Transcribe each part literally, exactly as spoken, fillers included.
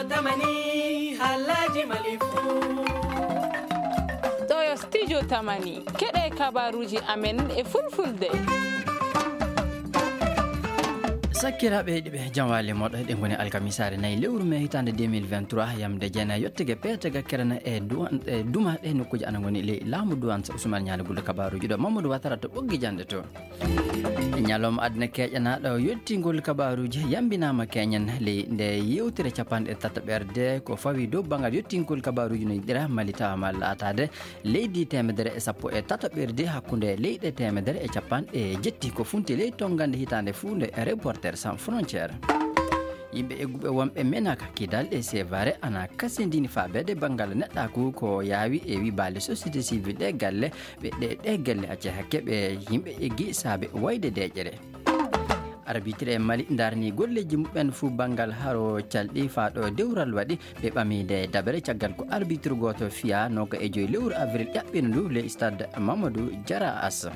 Tamani, halaji malifu. Ɗo yo studio Tamani. Keɗe kabaruji amen e fulfulde. Sakkiraaɓe heɗiiɓe, jam waali moɗo. Eɗen ngoni alkamisaare nayi lewru mee hitaande deux mille vingt-trois, yamde jeenayi yottege peetega kerana e duwan-, e duma ɗe nokkuuji ana ngoni ley laamu duwan sa Ousmane Ñaali Gulɗo kabaruji ɗo Mamadou Watara to ɓoggi jande to. Ñalawma aduna keeƴanaaɗo yottingol kabaruji yambinaama keñen ley nde yewtere capanɗe tataɓerde ko fawi dow banngal yottingol kabaruji no yiɗira Mali tawa ma laataade leydi teemedere e sappo e tataɓerde hakkunde leyɗe teemedere e capanɗe jetti ko funti ley tongande hitaande fuu nde Reporter Sans Frontières. Yimɓe egguɓe wonɓe menaka kidal e sevare ana kasindini faabeede banngal neɗɗaaku ko yaawi e wi baale société civile ɗe galle ɓe ɗe ɗe galle acce hakke ɓe yimɓe eggi saabe wayde deeƴere. Arbitre e Mali ndarni golleji muɓɓen fuu banngal haro calɗi faaɗo dewral waɗi ɓe ɓami nde dabere caggal ko arbitre gooto fiya noka e joyi lewru avril ƴaɓɓino ndu le stade Mamadou Diarra As.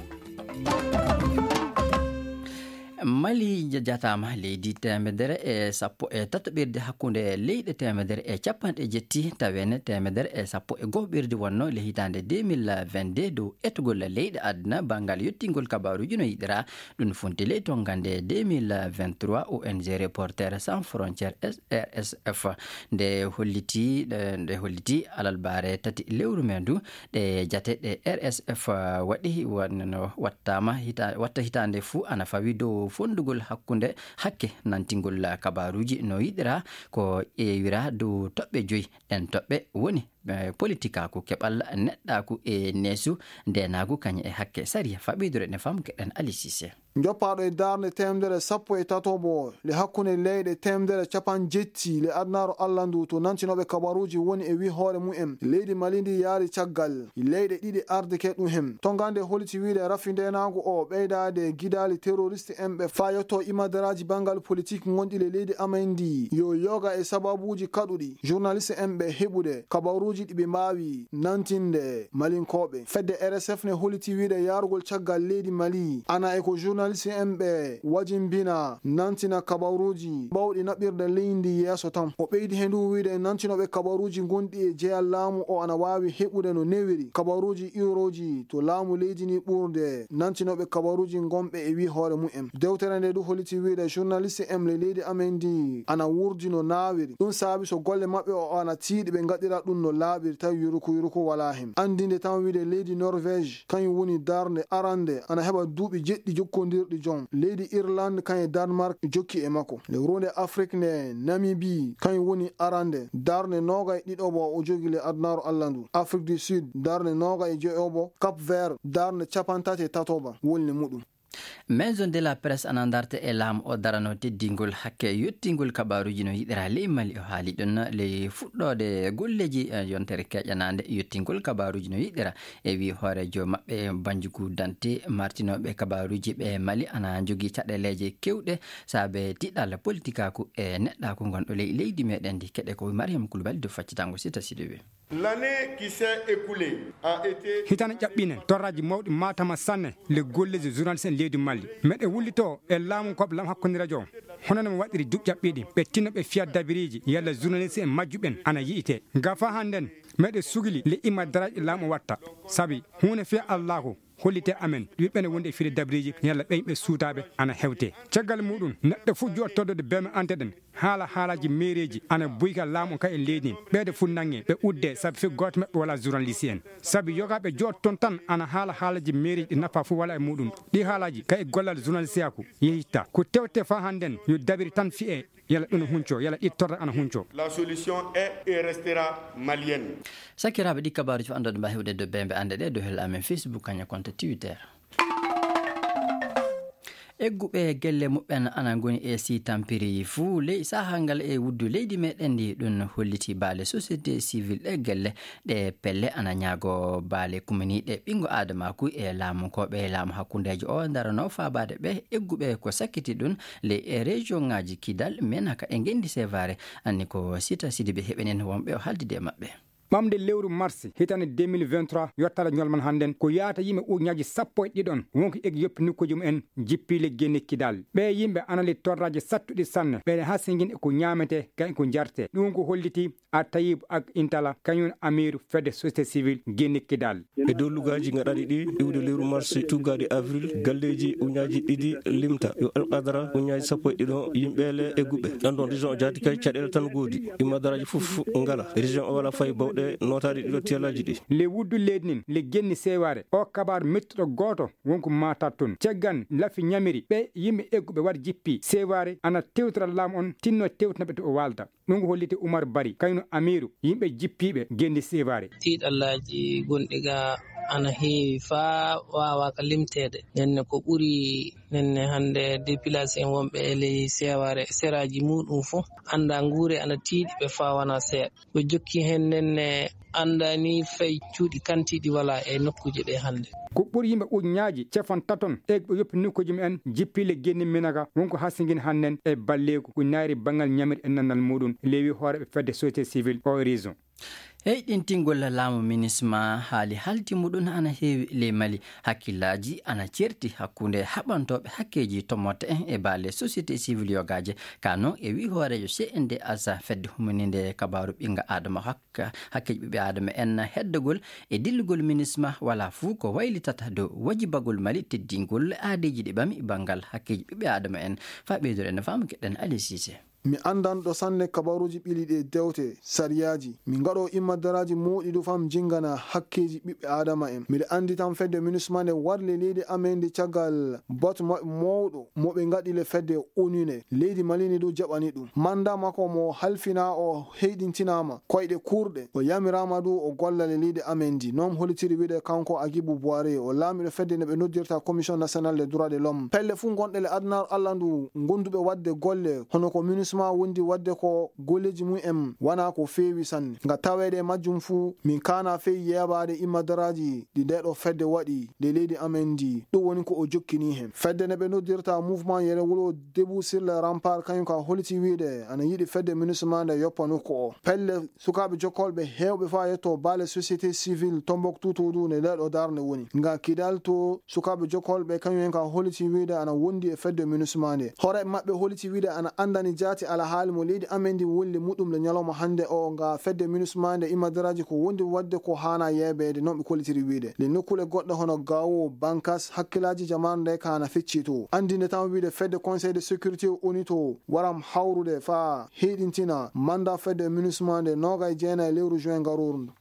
Mali jataama leydi teemedere e sappo e tataɓirde hakkunde leyɗe teemedere e capanɗe jetti tawene teemedere e sappo e gohoɓirde wonno le hitaande deux mille vingt-deux dow etugol leyɗe aduna banngal yottingol kabaruji no yiɗira. Ɗum funti ley tongande deux mille vingt-trois O N G Reporter Sans Frontières, R S F, nde holliti, nde holliti alalbaare tati lewru men ndu, ɗe jate ɗe R S F waɗi, wonno wattaama hita-, watta hitaande fuu ana fawi dow fonndugol hakkunde hakke nantingol kabaruuji no yiɗira ko ƴeewira dow toɓɓe joyi. Ɗen toɓɓe woni, eh, politikaaku, keɓal neɗɗaaku e neesu, ndeenaagu kañum e hakke sariya. Faɓidore ne fam keɗen Ali Cissé. Joppaaɗo e darnde teemedere sappo e tatoɓo le hakkunde leyɗe teemedere capanɗe jetti le adunaaru Allah ndu to nantinooɓe kabaruuji woni e wi hoore mumen. Leydi Mali ndi yaari caggal leyɗe ɗiɗi ardike ɗum hem. Tongande holliti wiide rafi ndeenaagu o ɓeydaade gidaali terroriste en ɓe faa yotto imadaraaji banngal politik ngonɗi le leydi amen ndi yo yoga e sababuuji kaɗuɗi journaliste en ɓe heɓude kabaruuji ɗi ɓe mbaawi nantinde Malinkooɓe. Fedde R S F ne holliti wiide yaarugol caggal leydi Mali ana e ko journaliste en ɓe wajimbina nantina kabaruuji bawɗi naɓirde leydi yeeso tan. O ɓeydi he ndu wiide nantinooɓe kabaruuji gonɗi e jeyal laamu o ana waawi heɓude no newiri kabaruuji iwrooji to laamu leydi ni ɓurde nantinooɓe kabaruuji gonɓe e wi hoore mumen. Dewtere nde du holliti wiide journaliste en le leydi amen ndi ana wurdi no naawiri. Ɗum saabi so golle maɓɓe o ana tiiɗi ɓe ngaɗira ɗum no laaɓiri tawi yuruku yuruku walaa hen. Anndinde tan wiide leydi Norvège kañum woni darnde arande ana heɓa duuɓi jeɗɗi jokkondirɗi jom. Leydi Irlande kañum e Danemark jokki e makko. Le runde Afrik nde Namibie kañum woni arande darnde noogay ɗiɗoɓo o jogi le adunaaru Allah ndu. Afrique du Sud darnde noogay e joyoɓo. Cap Vert darnde capantati e tatoɓa wolni muɗum. Maison de la Presse ana darta e laamu o darano teddingol hakke yottingol kabaruuji no yiɗira ley Mali. O haali ɗum ley fuɗɗoode golleeji, eh, yontere keƴanaande yottingol kabaruuji no yiɗira e wi hooreejo maɓɓe Banjugu Dante martinooɓe kabaruuji ɓe Mali ana jogii caɗeeleeje kewɗe saabe tiɗal politikaaku e neɗɗaaku ngonɗo ley leydi meɗen ndi. Keɗe ko Mariam Koulibaly dow faccitango Sita Sidibé. L'année qui s'est écoulée a été hitaande ƴaɓɓiiɗen torraaji mawɗi maatama sanne le golleeji journaliste en leydi Mali. Meɗe wullitoo e laamu koɓe lam hakkunde radio. Hono no mi waɗiri duuɓi ƴaɓɓiiɗi, ɓe tinno ɓe fiya dabiriiji, yalla journaliste en majjuɓen ana yi'ite. Nga faa hannden, meɗe sugili le imma daraaji laamu watta. Sabi, huunde fiya Allaahu, hollite amen, ɓiɓɓe ne wondi e fide dabiriiji, yalla ɓe yimɓe suutaaɓe ana hewte. Caggal muɗum, neɗɗo fof joɗɗo toddude beme ante ɗen, haala haalaaji meereeji ana buyka laamu ka e leydi, ɓeeɗe fof nange, ɓe udde, sabi fof gooto maɓɓe wala journaliste en. Sabi yogaaɓe joɗɗo toon tan ana haala haalaaji meereeji ɗi nafa fof wala e muɗum. Ɗi haalaaji ka e gollal journalisteyaaku yehitta. Ko tewte faa hannden yo dabiri tan fiye, yala ɗum hunco, yala ɗi torra ana hunco. La solution est et restera malienne. Sakiraaɓe, ɗi kabaaruuji fof anndude mba hewde dow bembe annde ɗe dow hel amen Facebook, kañum konto Twitter. Egguɓe gelle muɓɓen ana ngoni e si tampiri fuu ley sahaa ngal e wuddu leydi meɗen ndi. Ɗum holliti baale société civile ɗe gelle ɗe pelle ana ñaago baale kuminiiɗe ɓinngo aadamaaku e laamu ko ɓe laamu hakkundeejo o ndarano faabaade ɓe egguɓe ko sakkiti ɗum ley e région ŋaaji Kidal, Menaka e Ngenndi Sevare. Anni ko Sita Sidibe heɓenen wonɓe o haaldude e maɓɓe. Ɓamde lewru mars hitande deux mille vingt-trois yottaade ñolman hannden ko yaata yimɓe ujunnaaji sappo e ɗiɗon wonko eggi yoppi nokkuuji mumen jippiile genni Kidal. Ɓee yimɓe ana li torraaji sattuɗi sanne, ɓeɗe hasingin e ko ñaamete kayen ko njarte. Ɗum ko holliti a Tayib ak Intala kañum amiiru fedde société civile genni Kidal. E dow lugaaji gaɗaaɗi ɗi iwde lewru mars tuggaaɗi avril, galleeji ujunnaaji ɗiɗi limta yo alqadara ujunnaaji sappo e ɗiɗon yimɓeele e guɓe. Ɗan ɗon région o jaati kay caɗeele tan goodi. Immadaraaji fof ngala. Région o wala fay bawɗe nootaaɗi ɗiɗo tiyalaaji ɗi. Le wuddu leydi nin le genni seewaare o kabaar mettuɗo gooto wonko maatat toon. Caggan lafi ñamiri ɓe yimɓe egguɓe waɗ jippi seewaare ana tewtora laamu on tinno tewtinaɓe to o waalda. Ɗum ko holliti Umar Bari, kayno amiiru yimɓe jippiiɓe genndi seewaare. Tiiɗallaaji gonɗi ga ana heewi faa waawaaka limteede. Nenne ko ɓuri nenne hannde dépilation wonɓe e ley seewaare seraaji muuɗum fof annda nguure ana tiiɗi ɓe faa wana seeɗa. Ɓe jokki heen nenne annda ni fay cuuɗi kantiiɗi wala e nokkuuje ɗe hannde. Ko ɓuri yimɓe ujunnaaji cefon taton e ɓe yoppi nokkuuji mumen jippiile genni Minaga wonko hasingin hannden e balleeku ko naayri banngal ñamiri e nannal muuɗum, leewi hooreeɓe fedde société civile o région. Heyɗintingol laamu minisma haali haalti muɗum ana heewi ley Mali. Hakkillaaji ana certi hakkunde haɓantooɓe hakkeeji tommotte en e baale société civile yogaaje. Ka noon e wii hooreejo C N D H, fedde humininde kabaaru ɓinnga Aadama hak-, hakkeeji ɓiɓɓe Aadama en heddagol e dillugol minisma wala fuu ko waylitata dow wajibagol Mali teddingol aadeeji ɗi ɓami banngal hakkeeji ɓiɓɓe Aadama en. Faa ɓeydude en no faamu keɗen Ali Cissé. Mi anndanɗo sanne kabaruuji ɓili ɗe dewte, sariyaaji. Min ngaɗo immadaraaji mooɗi du fam jinngana hakkeeji ɓiɓɓe Aadama en. Miɗo anndi tan fedde minisma nde warli leydi amen ndi caggal batu maɓɓe mawɗo mo ɓe ngaɗi le fedde unine. Leydi Mali ni du jaɓani ɗum. Mannda makko mo halfina o heyɗintinaama koyɗe kurɗe. O yamiraama du o golla le leydi amen ndi. Noon hollitiri wiide kanko Agibu Buware, o laamiɗo fedde nde ɓe noddirta Commission Nationale des Droits de l'Homme. Pelle fuu gonɗe le adunaaru Allah ndu, gonduɓe waɗde golle, hono ko minisma wondi waɗde ko golleeji mum en, wana ko feewi sanne. Nga taweede e majjum fuu, min kaana fey yeebaade immadaraaji ɗi nde ɗo fedde waɗi, nde leydi amen ndi. Ɗum woni ko o jokkini hen. Fedde nde ɓe noddirta Mouvement Yere Wuro Debout sur le Rempart, kañum ka holliti wiide ana yiɗi fedde minisma nde yoppa nokku o. Pelle sukaaɓe jokkolɓe heewɓe faa yetto baale société civile Tombouctou to du nde nde ɗo darnde woni. Nga Kidal to sukaaɓe jokkolɓe kañum en ka holliti wiide ana wondi e fedde minisma nde. Hoore maɓɓe holliti wiide ana anndani jaati alhaali mo leydi amen ndi wolli muɗum le ñalawma hannde o nga fedde minisma nde immadaraaji ko wondi waɗde ko haana yeebeede, noon ɓe kollitiri wiide. Le nokkule goɗɗe hono Gao, Bankas, hakkilaaji jamaanu nde ka ana fecci to. Anndinde tan wiide fedde Conseil de sécurité O N U to waram hawrude faa heyɗintina mannda fedde minisma nde noogay jeenay lewru juin garooru ndu.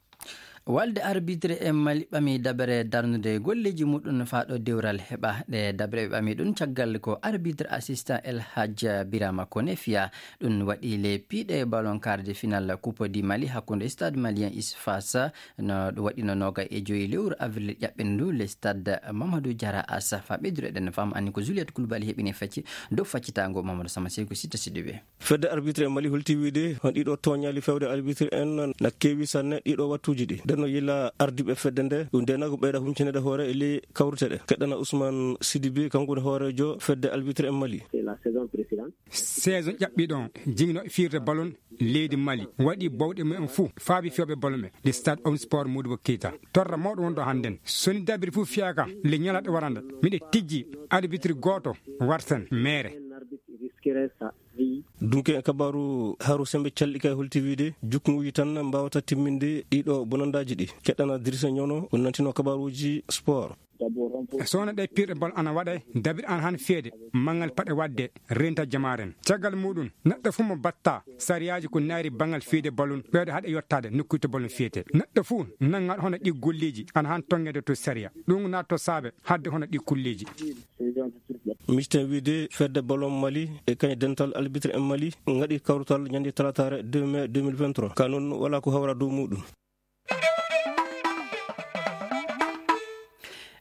Walde arbitre e Mali ɓami dabere darnude golleeji muɗum faa ɗo dewral heɓa. Ɗe dabere ɓe ɓami ɗum caggal ko arbitre assistant El Hadj Birama Kone fiya. Ɗum waɗi le piiɗe ballon quart de finale Coupe du Mali hakkunde Stade Malien Isfas. No ɗum waɗino noogay e joyi lewru avril ƴaɓɓindu le Stade Mamadou Diarra Assa. Faa ɓeydude ɗen fam anni ko Juliette Koulibaly heɓini facci dow faccitaango Mamadou Sama Seyku Sitta Sidibe. Fedde arbitre e Mali holti wiide on ɗiɗo tooñaali fewde arbitre en na keewi sanne ɗiɗo wattuuji ɗi. Nden no yila ardiiɓe fedde nde, ɗum nde na ko ɓeyda huñcinede hoore e ley kawrite ɗe. Keɗɗana Ousmane Sidibe, kanko woni hooreejo fedde arbitre en Mali. C'est la saison précédente. Saison ƴaɓɓiiɗo on, jingno fiirde ballon leydi Mali, waɗi bawɗe mumen fuu, faabi fewɓe ballon ɓe, le stade Omnisport Modibo Keita. Torra mawɗo wonɗo hannden. So ni dabiri fuu fiyaaka, le ñalaɗe warande, miɗe tijji arbitre gooto wartan meere. Dunke en kabaaru Haru Sembe calɗi kay holti wiide jukkonguuji tan mbaawata timminde ɗiɗo bonandaaji ɗi. Keɗɗana Dirisa Ñono, o nantino kabaaruuji sport. So wona ɗe piirɗe bal ana waɗa, dabir an han feede, manngal paɗe waɗde, renta jamaaren. Caggal muɗum, neɗɗo fuu mo batta sariyaaji ko naayri banngal fiyde balun, ɓeydo haɗa yottaade nokkuuji to balun fiyete. Neɗɗo fuu nanngaɗo hono ɗi golleeji, ana han tonngede to sariya. Ɗum naatto saabe hadde hono ɗi kulleeji. Misten wiide fedde ballon Mali e kañ dental arbitre en Mali ngaɗi kawrutal ñande talataare deux mai deux mille vingt-trois. Ka noon wala ko hawra dow muɗum.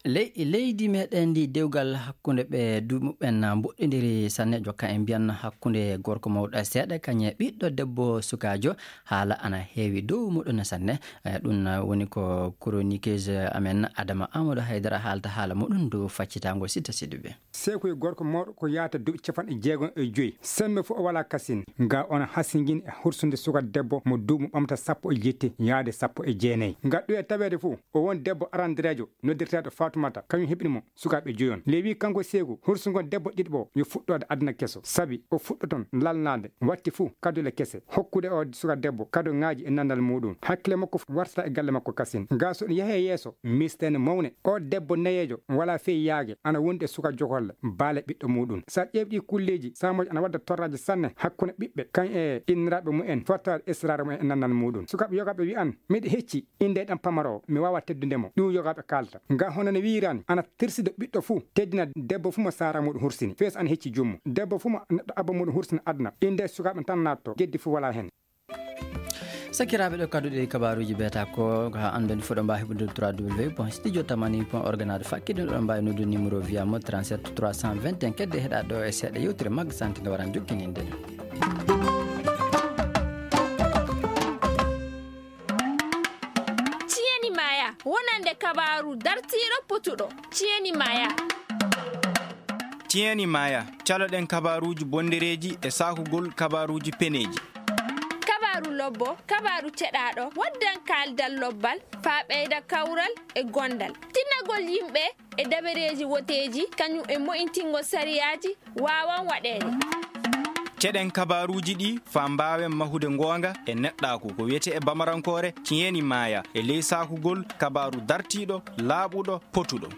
Ley-, leydi meɗen ndi dewgal hakkunde ɓe duuɓi muɓɓen mboɗɗindiri sanne, jokka en mbiyan hakkunde gorko mawɗo seeɗa kañe ɓiɗɗo debbo sukaajo. Haala ana heewi dow muɗum sanne. Eh, ɗum, eh, woni ko chroniqueuse amen Adama Amadou Haydara haalta haala muɗum dow faccitaango Sita Sidibé. Seeku e gorko mawɗo ko yaata duuɓi capanɗe jeegom e joyi. Semmbe fof o walaa kasin. Nga ona hasingin e hursude suka debbo mo duuɓi ɓamta sappo e jetti yaade sappo e jeenayi. Nga ɗuya taweede fof o won debbo arandireejo noddirteeɗo Fatumata, kañum heɓini mo sukaaɓe joyon. Lewi kanko Seeku hursugo debbo ɗiɗo o yo fuɗɗoode aduna keso. Sabi o fuɗɗoton lalnaade watti fof kadule kese. Hokkude o suka debbo kado ŋaaji e nandal muɗum. Hakkile makko fof wartata e galle makko kasin. Nga so ɗum yahe yeeso, mistene mawne. O debbo nayeejo wala fey yaage, ana wondi e suka jogolle, baale ɓiɗɗo muɗum. Sa ƴeewi ɗi kulleeji, samoji ana wadda torraji sanne hakkunde ɓiɓɓe, kan e inniraaɓe mumen, fotta israare mumen e nannal muɗum. Sukaaɓe yogaaɓe wi'an, miɗo hecci innde ɗan pamaro, mi wawa teddude mo. Ɗum yogaaɓe kaalta. Nga hono no wiirani, ana tirsido ɓiɗɗo fuu, teddina debbo fuu mo saara muɗum hursini. Fees ana hecci jummo. Debbo fuu mo neɗɗo abba muɗum hursini aduna. Innde sukaaɓe tan naatto, geddi fuu wala hen. Sakiraaɓe, ɗo kadduɗe kabaaruuji beeta ko, ko haa anndon fof ɗo mbaawi heɓude trois W point studio tamani point org naade fakkide ɗo mbaawi noddude numéro via mo trente-sept trois cent vingt et un. Kedde heɗa ɗo e seeɗa yewtere Magga Santé nde waran jokkininde. Ciyeni Maya, wonande kabaaru dartiiɗo potuɗo. Ciyeni Maya. Ciyeni Maya, caloɗen kabaaruuji bondereeji e saakugol kabaaruuji peneeji. Kabaaru lobbo, kabaaru ceɗaaɗo, waddan kaaldal lobbal, faa ɓeyda kawral e gondal. Tinnagol yimɓe e dabareeji woteeji, kañum e mo'intingol sariyaaji waawan waɗeede. Ceɗen kabaaruuji ɗi faa mbaawen mahude ngoonga e neɗɗaaku, ko wiyetee e bamarankoore, ciyeni maya, e ley saakugol kabaaru dartiiɗo, laaɓuɗo, potuɗo.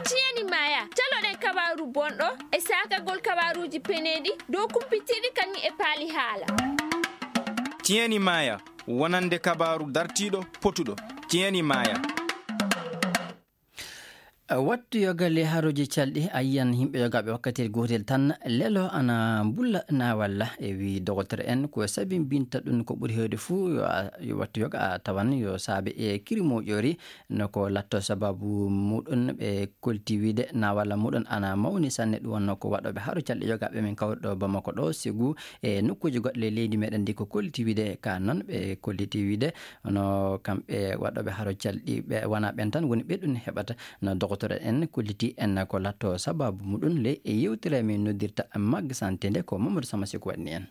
Ciyeni maya, caloɗen kabaaru bonɗo e saakagol kabaaruuji peneeɗi dow kumpitiiɗi kañum e paali haala. Ciyeni maya, wonande kabaaru dartiiɗo, potuɗo. Ciyeni maya. Wattu yoga ley harooji calɗi, a yiyan yimɓe yogaaɓe wakkatiyel gootel tan, lelo ana mbulla na walla. E wii dogotoro en, ko sabimbinta ɗum ko ɓuri heewde fuu yo a, yo wattu yoga a tawan yo saabe e kiri moƴƴori, no ko latto sababu muɗum ɓe kolti wiide na walla muɗum ana mawni sanne. Ɗum wonno ko waɗooɓe haro calɗi yogaaɓe min kawruɗo Bamako ɗo, sigu e nokkuuji goɗɗe ley leydi meɗen ndi ko kolti wiide ka noon ɓe kolliti wiide. Hono kamɓe waɗooɓe haro calɗi, ɓe wona ɓen tan woni ɓe ɗum heɓata. No dogotoro en kolliti en ko latto sababu muɗum le e yewtere min noddirta Magga Santé nde ko Mamadou Sama Seku waɗni en.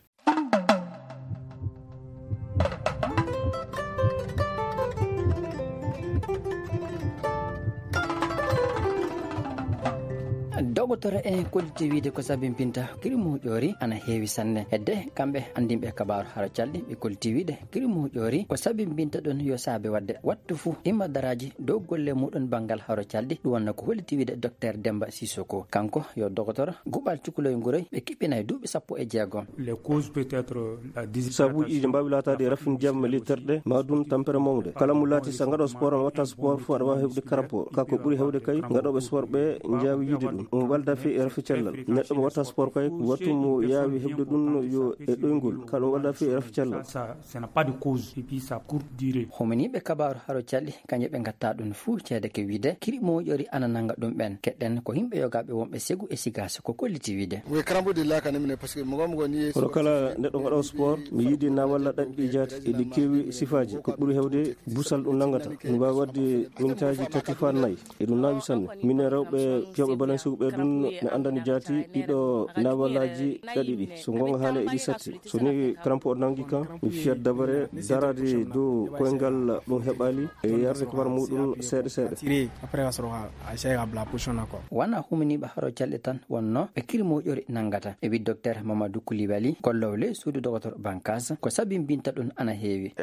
Dogotoro en kolliti wiide ko sabimbinta kiri moƴƴori ana heewi sanne. Hedde kamɓe anndinɓe kabaaru haro calɗi ɓe kolliti wiide kiri moƴƴori ko sabimbinta ɗum yo saabe waɗde wattu fuu imma daraaji dow golle muɗum banngal haro calɗi. Ɗum wonno ko holliti wiide Docteur Demba Sissoko. Kanko yo dogotoro guɓal cukuloy nguroy ɓe kiɓɓinay duuɓi sappo e jeegom. Les causes peut être la déshydratation. Sabuuji ɗi mbaawi laataade e rafin ndiyam e ley terɗe, ma ɗum tampere mawnde. Kala mo laati so a ngaɗo sport, a watta sport fof aɗa waawi heɓde karampo. Ka ko ɓuri heewde kay, ngaɗooɓe sport ɓe njaawi yiide ɗum. Ɗum walda fii e rafi cellal. Neɗɗo mo watta sport kay, wattu mo yaawi heɓde ɗum yo e ɗoyngol. Ka ɗum walda fii e rafi cellal. Ça, ça n'a pas de cause. Et puis ça court durée. Hominiiɓe kabaaru haro calɗi, kañe ɓe ngatta ɗum fuu ceede ke wiide, kiri moƴƴori ana nannga ɗum ɓen. Keɗɗen ko yimɓe yogaaɓe wonɓe segu e sigaasa ko kolliti wiide. Oui, karambo de la kanam ne, parce que mo gom goni. Kono kala neɗɗo ngaɗo sport, mi yiɗi na walla ɗaɗɗi jaati, eɗi keewi sifaaji. Ko ɓuri heewde busal ɗum nanngata. Ɗum waawi waɗde mintaaji tati faa nayi. Eɗum naawi sanne. Minen rewɓe fiyooɓe balaŋ siwɓe ɗum ne anndani jaati ɗiɗo naawalaaji ɗaɗi ɗi. So ngoonga haala eɗi satti. So ni karampo o nanngi kan, mi fiyat dabare daraade dow koyngal ɗum heɓaali e yarde kabar muɗum seeɗa seeɗa. Tiré, après, a sɔrɔ ka, a essayé ka bila position na quoi. Wona huminiiɓe haro calɗi tan wonno ɓe kiri moƴƴori nanngata. E wi Docteur Mamadou Koulibaly, kollowo ley suudu dogotoro Bankas, ko sabimbinta ɗum ana heewi.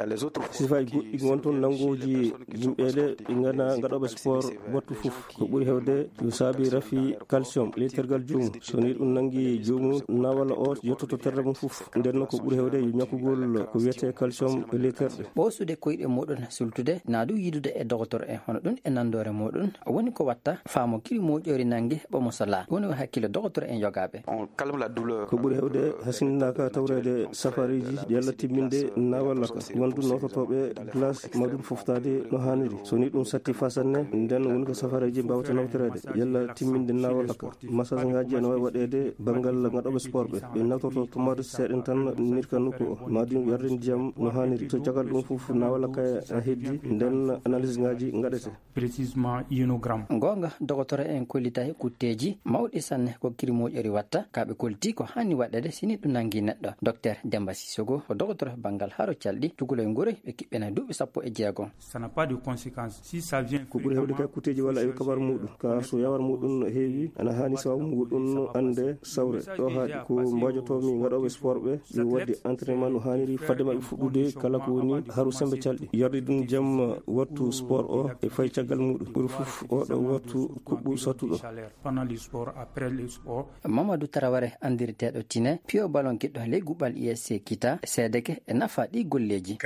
Sifaaji goɗɗi ngon toon nanngooji yimɓeele ɗi ngana ngaɗooɓe sport wattu fof. Ko ɓuri heewde yo saabi rafi calcium. Calcium, letergal joomum. So ni ɗum nangi joomum, nawala o yottoto terɗe mum fof. Nden noon ko ɓuri heewde yo ñakkugol ko wiyetee calcium e leterɗe. Ɓoosude koyɗe muɗum sultude, naa du yiidude e dogotoro en, hono ɗum e nanndoore muɗum, woni ko watta faamo kiri moƴƴori nangi ɓomo salaa. Woni o hakkille dogotoro en yogaaɓe. On calme la douleur. Ko ɓuri heewde hasindinaaka tawreede safareeji yalla timminde nawala ka. Wondu nawtotooɓe glace ma ɗum foftaade no haaniri. So ni ɗum satti fasanne, nden woni ko safareeji mbaawata nawtoreede yalla timminde nawala ka. Massage ngaji ene waawi waɗeede banngal ngaɗooɓe sport ɓe. Ɓe nawtoto tomate seeɗen tan nirka nokku o. Ma ɗum yarde ndiyam no haaniri. So caggal ɗum fof nawala ka a heddi, nden analyse ngaji ngaɗete. Précisément inogramme. Goonga, dogotoro en kollitay kutteeji mawɗi sanne ko kiri moƴƴori watta, ka ɓe kolti ko hani waɗede sini ɗum nangi neɗɗo. Docteur Demba Sissoko ko dogotoro banngal haro calɗi, cukalel ngure ɓe kiɓɓena duuɓi sappo e jeego. Ça n'a pas de conséquence. Si ça vient ko ɓuri heewde ka kutteeji walla e kabar muɗum. Ka so yawar muɗum heewi, ana hani sababu muɗum ande sawre. Ɗo haaɗi ko mbajotomi ngaɗooɓe sport ɓe, ɓe waddi entraînement no haaniri fadde maɓɓe fuɗɗude kala ko woni haru sembe calɗi. Yarde ɗum jam wattu sport o e fay caggal muɗum. Ɓuri fof oɗo wattu kuɓɓu sattuɗo. Pendant le sport, après le sport. Mamadou Traoré, anndirteeɗo Tine, piyo ballon kiɗɗo ley guɓɓal U S C Kita, seedeke e nafa ɗi golleeji.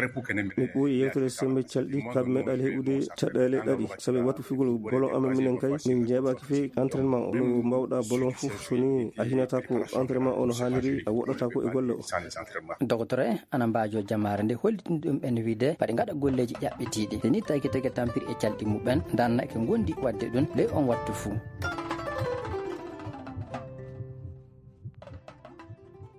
Mi ɓooyi yewtere sembe calɗi, ka meeɗaali heɓude caɗeele ɗaɗi. Sabi wattu figol ballon amen minen kay, min njeeɓaaki fii entraînement o. No mbawɗa ballon fof, so ni a hinata ko entraînement o no haaniri, a woɗɗata ko e golle o. Dogotoro en ana mbaajo jamaare nde hollitin ɗum en wiide, paɗe ngaɗa golleeji ƴaɓɓitiiɗi. Te ni tawki tege tampiri e calɗi muɓɓen, ndanna ke ngondi waɗde ɗum ley on wattu fuu.